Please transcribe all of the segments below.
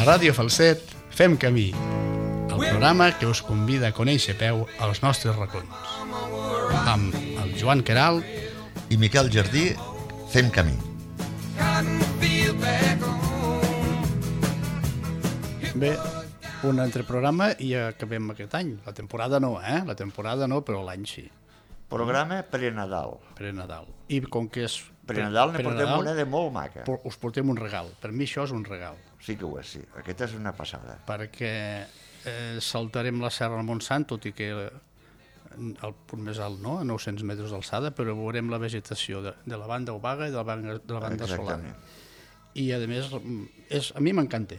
A Ràdio Falset fem camí, el programa que us convida a conèixer a peu els nostres racons. Amb el Joan Queralt i Miquel Jardí fem camí. Bé, un altre programa i acabem aquest any. La temporada no, La temporada no, però l'any sí. Programa pre-Nadal. Pre-Nadal. I com que és... Pre-Nadal ne portem una de molt maca. Us portem un regal. Per mi això és un regal. Sí que ho és, sí. Aquesta és una passada. Perquè saltarem la Serra del Montsant, tot i que el punt més alt no, a 900 metres d'alçada, però veurem la vegetació de la banda obaga i de la banda solana. I a més, a mi m'encanta.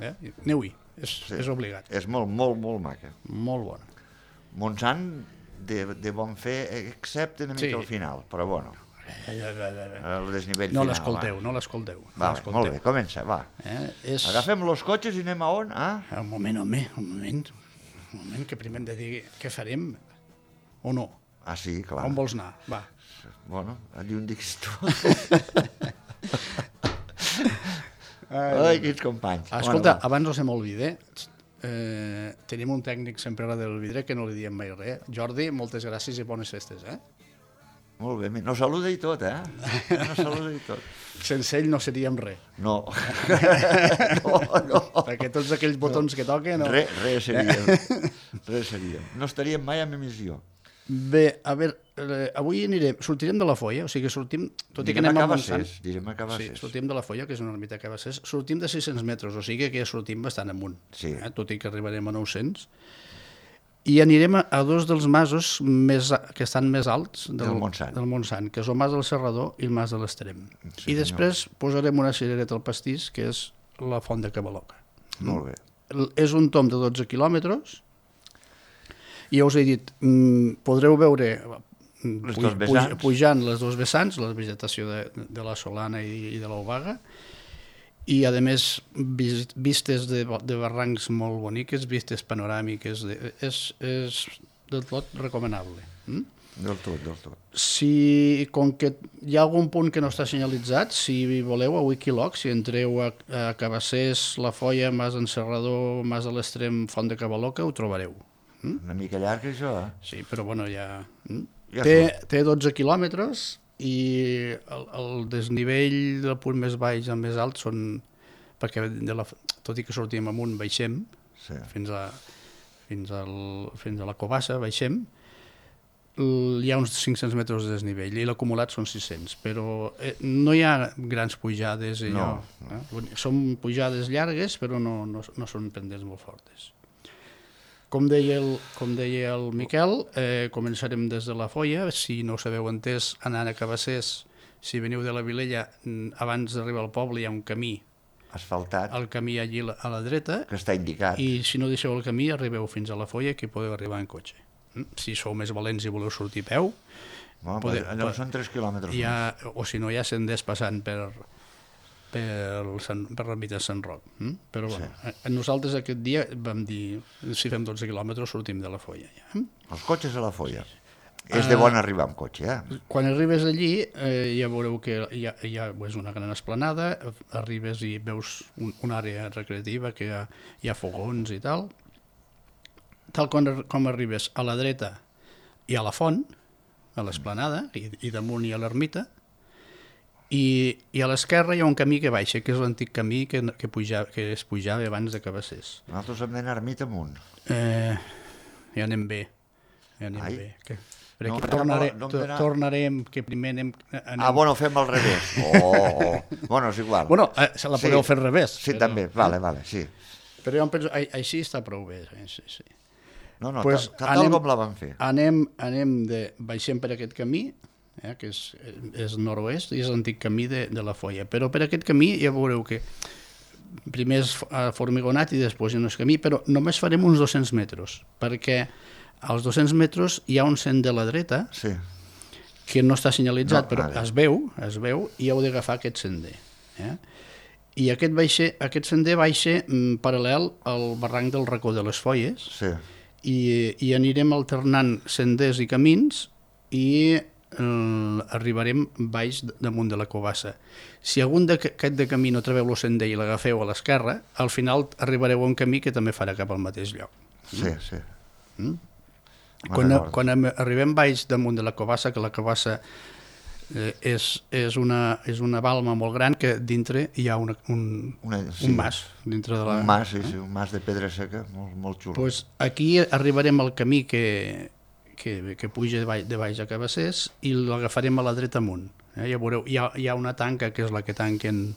Aneu-hi, és obligat. És molt, molt, molt maca. Molt bona. Montsant de bon fer, excepte una mica al final, però bueno. El desnivell final. No l'escolteu. Molt bé, comença, va. Agafem los cotxes i anem a on? Un moment, que primer hem de dir què farem o no. Ah, sí, clar. On vols anar? Va. Bueno, allí on diguis tu. Ai, quins companys. Escolta, abans no se m'olvide, tenim un tècnic sempre a del vidre que no li diem mai res. Jordi, moltes gràcies i bones festes, Molt bé, no saluda i tot, No saluda i tot. Sense ell no seríem res. No. No. Perquè tots aquells botons que toquen... Res seríem. No estaríem mai en emissió. Bé, a veure, avui sortirem de la Foia, o sigui que sortim... Tot i que anem a Montsant. Direm a Cabassers. Sí, sortim de la Foia, que és una ermita a Cabassers, sortim de 600 metres, o sigui que ja sortim bastant amunt. Sí. Tot i que arribarem a 900. I anirem a dos dels masos que estan més alts del Montsant, que és el Mas del Serrador i el Mas de l'Extrem. I després posarem una cirereta al pastís, que és la Font de Cavalloca. Molt bé. És un tom de 12 quilòmetres, i ja us he dit, podreu veure pujant les dos vessants, la vegetació de la Solana i de l'Obaga, i a més vistes de barrancs molt boniques, vistes panoràmiques, és del tot recomanable. Del tot. Si, com que hi ha algun punt que no està senyalitzat, si voleu, a Wikiloc, si entreu a Cabassers, La Foia, Mas d'en Serrador, Mas de l'Extrem, Font de Cavalloca, ho trobareu. Una mica llarg, això, Sí, però bueno, ja... Té 12 quilòmetres i el desnivell del punt més baix al més alt són... perquè tot i que sortim amunt, baixem, fins a la Cobassa, baixem, hi ha uns 500 metres de desnivell i l'acumulat són 600, però no hi ha grans pujades. Són pujades llargues, però no són pendents molt fortes. Com deia el Miquel, començarem des de la Foia. Si no s'haveu entès, anant a Cabassers, si veniu de la Vilella, abans d'arribar al poble hi ha un camí asfaltat, el camí allí a la dreta, que està indicat, i si no deixeu el camí arribeu fins a la Foia, que podeu arribar en cotxe. Si sou més valents i voleu sortir a peu, allò són 3 quilòmetres o si no, ja senders passant per l'ermita de Sant Roc. Però nosaltres aquest dia vam dir, si fem 12 quilòmetres sortim de la Foia. Els cotxes a la Foia. És de bon arribar amb cotxe, Quan arribes allí ja veureu que hi ha una gran esplanada, arribes i veus una àrea recreativa que hi ha fogons i tal. Tal com arribes a la dreta hi ha la font, a l'esplanada, i damunt hi ha l'ermita, i a l'esquerra hi ha un camí que baixa, que és l'antic camí que es pujava abans de Cabassers. Nosaltres hem d'anar ermita amunt. Ja anem bé. Tornarem, que primer anem... Bueno, fem al revés. Bueno, és igual. Bueno, se la podeu fer al revés. Sí, també, vale, sí. Però jo em penso, així està prou bé, sí. No, tal com la vam fer. Baixem per aquest camí, que és nord-oest, i és l'antic camí de la Foia. Però per aquest camí ja veureu que primer és formigonat i després hi ha un camí, però només farem uns 200 metres, perquè als 200 metres hi ha un sender a la dreta que no està senyalitzat, però es veu i heu d'agafar aquest sender. I aquest sender baixa paral·lel al barranc del Racó de les Foies i anirem alternant senders i camins i arribarem baix damunt de la Covassa. Si algun d'aquest de camí no trobeu el sender i l'agafeu a l'esquerra, al final arribareu a un camí que també farà cap al mateix lloc. Sí. Quan arribem baix damunt de la Covassa, que la Covassa és una balma molt gran que dintre hi ha un mas. Dintre de un mas, un mas de pedra seca, molt xulo. Pues aquí arribarem al camí que puja de baix a Cabassers i l'agafarem a la dreta amunt. Ja veureu, hi ha una tanca que és la que tanquen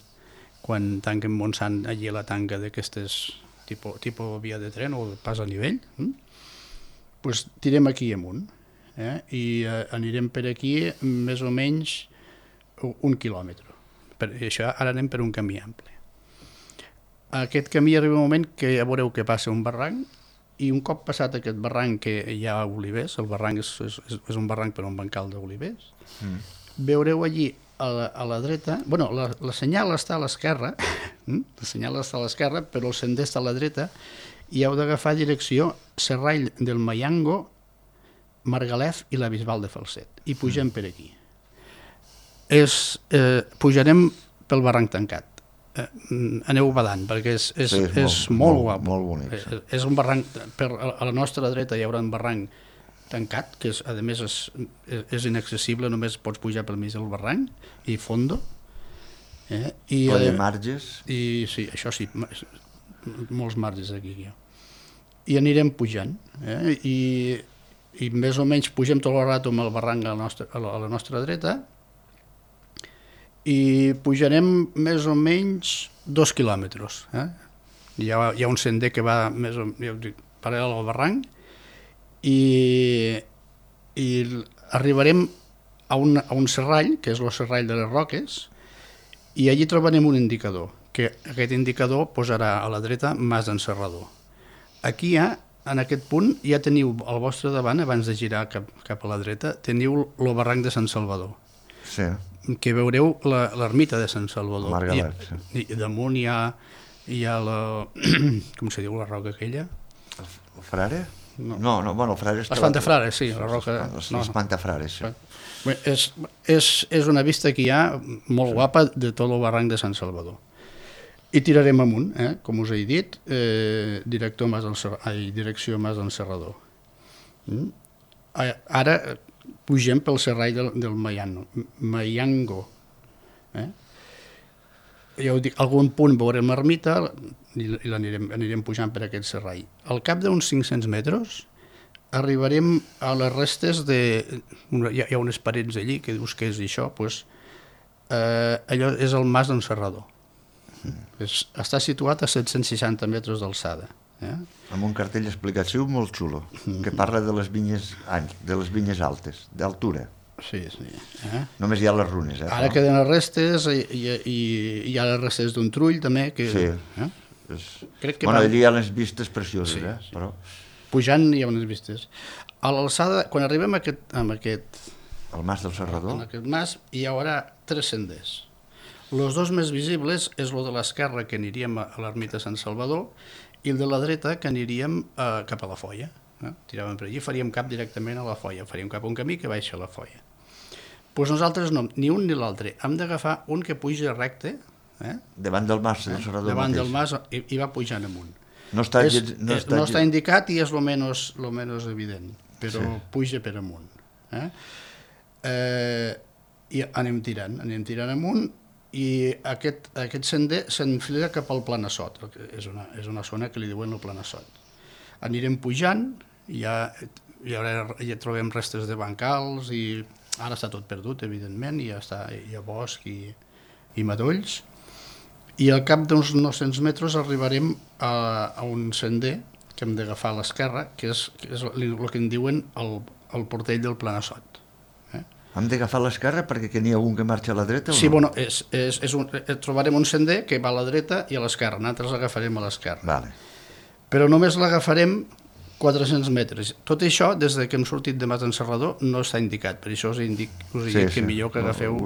quan tanquen Montsant, allí a la tanca d'aquestes tipus via de tren o pas a nivell. Pues tirem aquí amunt i anirem per aquí més o menys 1 quilòmetre. Això ara anem per un camí ampli. Aquest camí arriba un moment que ja veureu que passa un barranc i un cop passat aquest barranc que hi ha olivers, el barranc és un barranc per un bancal d'olivers, veureu allí a la dreta, bueno, la senyal està a l'esquerra, però el sender està a la dreta i heu d'agafar direcció Serrall del Mayango, Margalef i la Bisbal de Falset i pugem per aquí. Pujarem pel barranc tancat. Aneu badant perquè és molt guapo. Molt bonic. És un barranc, a la nostra dreta hi haurà un barranc tancat que a més és inaccessible, només pots pujar pel mig del barranc i fondo. Ple de marges. I sí, això sí, molts marges aquí. I anirem pujant i més o menys pugem tot el rato amb el barranc a la nostra dreta i pujarem més o menys 2 quilòmetres. Hi ha un sender que va paral·lel al barranc i arribarem a un serrall, que és el serrall de les Roques, i allí trobarem un indicador, que aquest indicador posarà a la dreta Mas d'en Serrador. Aquí en aquest punt ja teniu al vostre davant, abans de girar cap a la dreta, teniu el barranc de Sant Salvador. Sí. Que veureu l'ermita de Sant Salvador. Margalef, sí. I damunt hi ha la... com se diu la roca aquella? El Frare? No, bueno, el Frare... L'Espantafrare, sí, la roca... L'Espantafrare, sí. És una vista que hi ha molt guapa de tot el barranc de Sant Salvador. I tirarem amunt, com us he dit, direcció Mas d'en Serrador. Ara pugem pel serrall del Mayango. Ja ho dic, algun punt veurem l'ermita i anirem pujant per aquest serrall. Al cap d'uns 500 metres arribarem a les restes de... Hi ha unes parets allí que dius que és això, doncs allò és el Mas d'en Serrador. Està situat a 760 metres d'alçada. Amb un cartell explicatiu molt xulo, que parla de les vinyes altes, d'altura. Sí. Només hi ha les runes. Ara queden les restes i hi ha les restes d'un trull també. Sí. Allà hi ha les vistes precioses, però... Pujant hi ha unes vistes. A l'alçada, quan arribem a aquest... El Mas del Serrador? En aquest mas hi haurà 3 senders. Els 2 més visibles és el de l'esquerra, que aniríem a l'ermita Sant Salvador, i el de la dreta, que aniríem cap a la Foia. Tiràvem per allí, faríem cap directament a la Foia, faríem cap a un camí que baixa a la Foia. Doncs nosaltres no, ni un ni l'altre. Hem d'agafar un que puja recte. Davant del Mas del Serrador davant mateix. Del mas i va pujant amunt. No està indicat i és el menys evident, però puja per amunt. I anem tirant amunt, i aquest sender s'enfila cap al Planassot, és una zona que li diuen el Planassot. Anirem pujant, ja trobem restes de bancals, i ara està tot perdut, evidentment, hi ha bosc i matolls, i al cap d'uns 900 metres arribarem a un sender que hem d'agafar a l'esquerra, que és el que en diuen el portell del Planassot. Hem d'agafar l'esquerra perquè n'hi ha algun que marxa a la dreta? Sí, bueno, trobarem un sender que va a la dreta i a l'esquerra, nosaltres l'agafarem a l'esquerra. Vale. Però només l'agafarem 400 metres. Tot això, des que hem sortit de Mas d'en Serrador, no està indicat, per això us he dit que millor que agafeu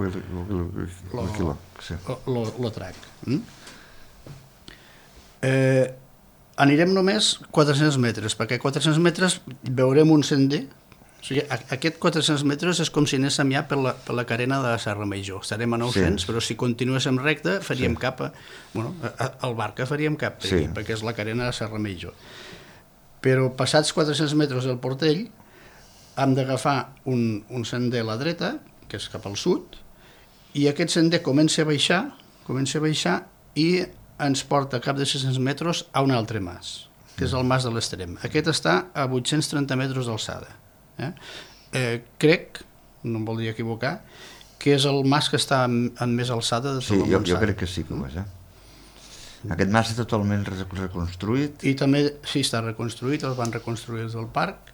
el trac. Anirem només 400 metres, perquè a 400 metres veurem un sender O sigui, aquest 400 metres és com si anéssim ja per la carena de la Serra Major. Estarem a 900, però si continuéssim recte faríem cap al Barca faríem cap, perquè és la carena de la Serra Major. Però passats 400 metres del Portell hem d'agafar un sender a la dreta, que és cap al sud, i aquest sender comença a baixar i ens porta a cap de 600 metres a un altre mas, que és el Mas de l'Extrem. Aquest està a 830 metres d'alçada. Crec, no em voldria equivocar, que és el mas que està en més alçada de tot el Montsant. Sí, jo crec que sí que ho és. Aquest mas està totalment reconstruït? I també, sí, està reconstruït, el van reconstruir des del parc,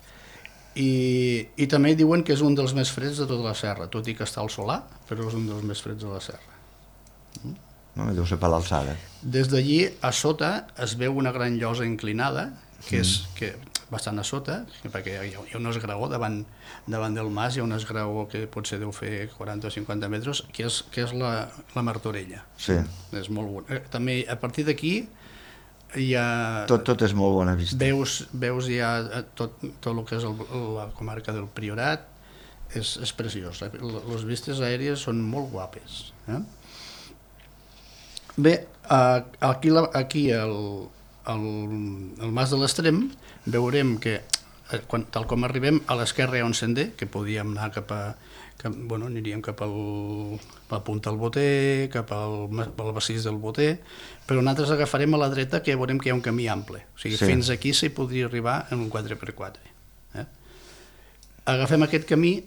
i també diuen que és un dels més freds de tota la serra, tot i que està al Solà, però és un dels més freds de la serra. No, deu ser per l'alçada. Des d'allí, a sota, es veu una gran llosa inclinada, que és bastant a sota, perquè hi ha un esgraó davant del mas, hi ha un esgraó que potser deu fer 40 o 50 metres, que és la Martorella. Sí. És molt bon. També, a partir d'aquí, hi ha... Tot és molt bona vista. Veus ja tot el que és la comarca del Priorat, és preciós. Les vistes aèries són molt guapes. Bé, aquí al Mas de l'Extrem veurem que tal com arribem a l'esquerra hi ha un sender que podíem anar aniríem cap a la punta del Boter, cap al massís del Boter, però nosaltres agafarem a la dreta, que veurem que hi ha un camí ample, o sigui, fins aquí s'hi podria arribar en un 4x4. Agafem aquest camí,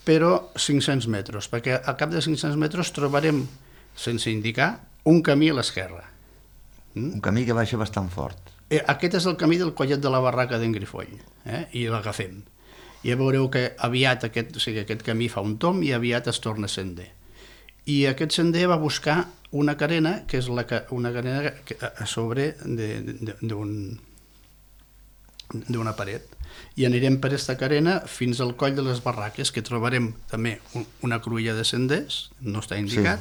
però 500 metres, perquè al cap de 500 metres trobarem, sense indicar, un camí a l'esquerra. Un camí que baixa bastant fort. Aquest és el camí del Collet de la Barraca d'en Grifoll, i l'agafem. Ja veureu que aviat aquest camí fa un tomb i aviat es torna sender. I aquest sender va buscar una carena, que és una carena a sobre d'una paret. I anirem per aquesta carena fins al Coll de les Barraques, que trobarem també una cruïlla de senders, no està indicat,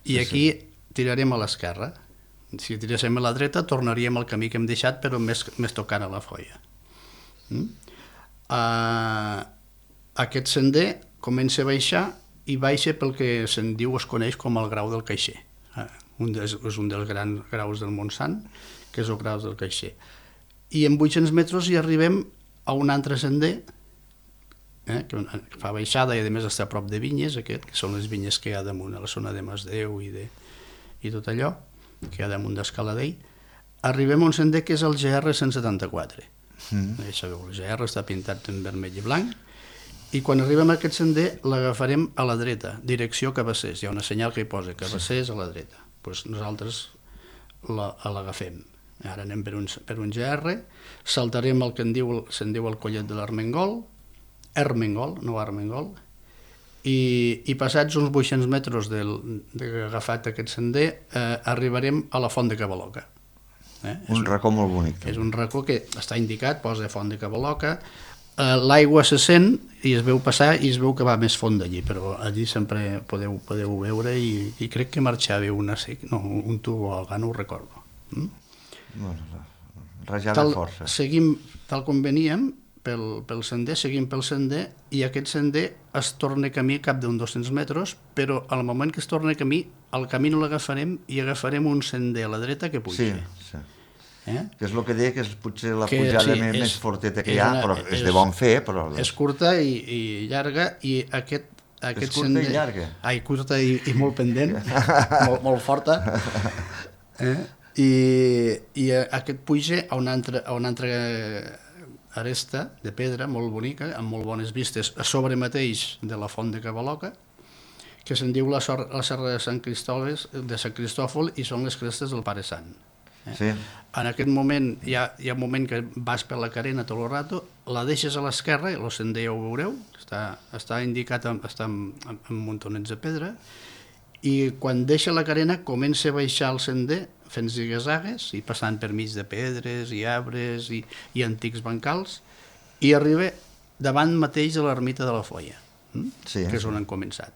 i aquí tirarem a l'esquerra. Si tiréssim a la dreta tornaríem al camí que hem deixat, però més tocant a la folla. Aquest sender comença a baixar i baixa pel que se'n diu, es coneix com el Grau del Caixer. És un dels grans graus del Montsant, que és el Grau del Caixer. I en 800 metres hi arribem a un altre sender, que fa baixada i a més està a prop de vinyes, que són les vinyes que hi ha damunt a la zona de Masdeu i tot allò, que hi ha damunt d'Escaladell. Arribem a un sender que és el GR 174. Ja sabeu, el GR està pintat en vermell i blanc, i quan arribem a aquest sender l'agafarem a la dreta, direcció Cabassers. Hi ha una senyal que hi posa Cabassers a la dreta. Nosaltres l'agafem. Ara anem per un GR, saltarem el que se'n diu el Collet de l'Armengol, no Armengol, i passats uns 800 metres d'agafat aquest sender arribarem a la Font de Cavaloca. Un racó molt bonic. És un racó que està indicat, posa Font de Cavaloca, l'aigua se sent i es veu passar i es veu que va més font d'allí, però allí sempre podeu veure i crec que marxava un tub o alga, no ho recordo. Rajada força. Seguim tal com veníem pel sender, seguim pel sender, i aquest sender es torna camí cap d'un 200 metres, però al moment que es torna camí, el camí no l'agafarem i agafarem un sender a la dreta que puja. Sí. Que és el que deia, que és potser la pujada més forteta que hi ha, però és de bon fer. És curta i llarga, i aquest és curta i llarga. Curta i molt pendent, molt forta. I aquest puja a una altra aresta de pedra molt bonica, amb molt bones vistes, a sobre mateix de la Font de Cavaloca, que se'n diu la Serra de Sant Cristòfol, i són les crestes del Pare Sant. En aquest moment hi ha un moment que vas per la carena tot el rato, la deixes a l'esquerra, i el sender ja ho veureu, està indicat, està amb muntonets de pedra, i quan deixa la carena comença a baixar el sender fent zigue-zagues i passant per mig de pedres i arbres i antics bancals, i arriba davant mateix de l'ermita de la Foia, que és on han començat.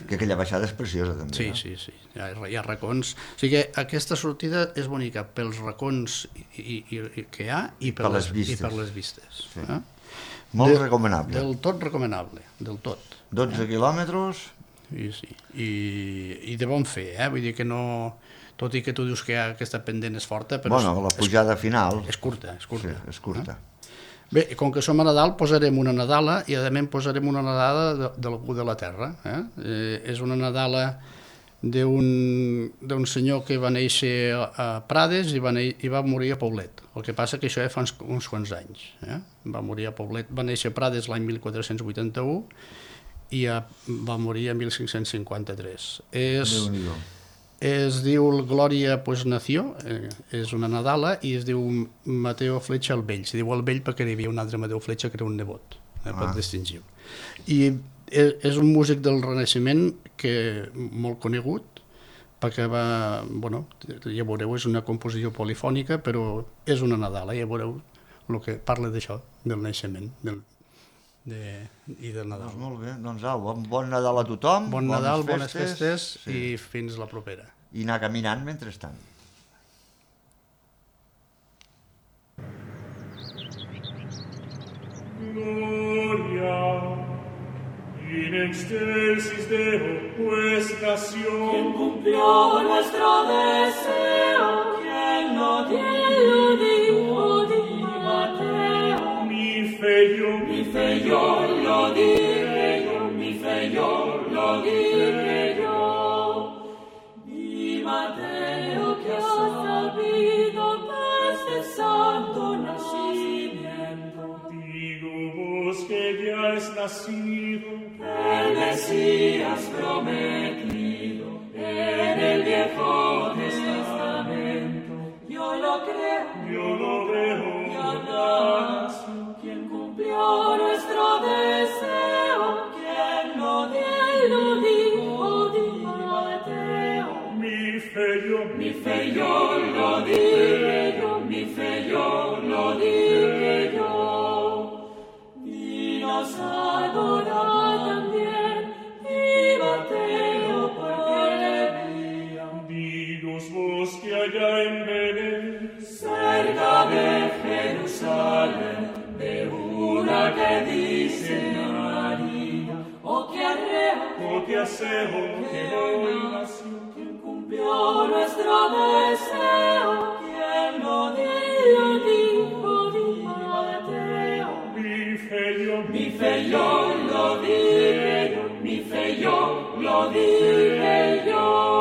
Que aquella baixada és preciosa també. Sí, hi ha racons. O sigui que aquesta sortida és bonica pels racons que hi ha i per les vistes. Molt recomanable. Del tot recomanable, del tot. 12 quilòmetres. Sí. I de bon fer, vull dir que no... Tot i que tu dius que aquesta pendent és forta, però... Bueno, la pujada final... És curta. Sí, és curta. Bé, com que som a Nadal, posarem una nadala i, a més, posarem una nadala d'algú de la terra. És una nadala d'un senyor que va néixer a Prades i va morir a Poblet. El que passa que això ja fa uns quants anys. Va morir a Poblet, va néixer a Prades l'any 1481 i va morir a 1553. Déu-n'hi-do. Es diu Glòria pues Nació, és una nadala, i es diu Mateo Fletxa el Vell. Se diu el Vell perquè hi havia un altre Mateo Fletxa que era un nebot, per distingir-ho. I és un músic del Renaixement molt conegut, perquè ja veureu, és una composició polifònica, però és una nadala, ja veureu el que parla d'això, del naixement i del Nadal. Molt bé, doncs bon Nadal a tothom. Bon Nadal, bones festes i fins la propera. I anar caminant mentrestant. Gloria in excelsis Deo pues nació. Quien cumplió nuestro deseo, quien lo dijo, di Mateo. Mi fe yo lo dije yo, mi fe yo lo dije yo. Di Mateo que has sabido desde santo nacimiento. Digo vos que ya es nacido el Mesías prometido en el Viejo Testamento. Yo lo creo, ya nació quien cumplió nuestro deseo, quien lo dijo, di Mateo. Mi fe yo lo dije yo, mi fe yo lo dije yo. Y nos adora también, y Mateo porque le vía. Digos vos que allá en Belén, cerca de Jerusalén, de una que dice María, o que Aseo, que hoy nació, quien cumplió nuestro deseo, quien lo dijo, di Mateo. Mi fe yo lo dije yo, mi fe yo lo dije yo.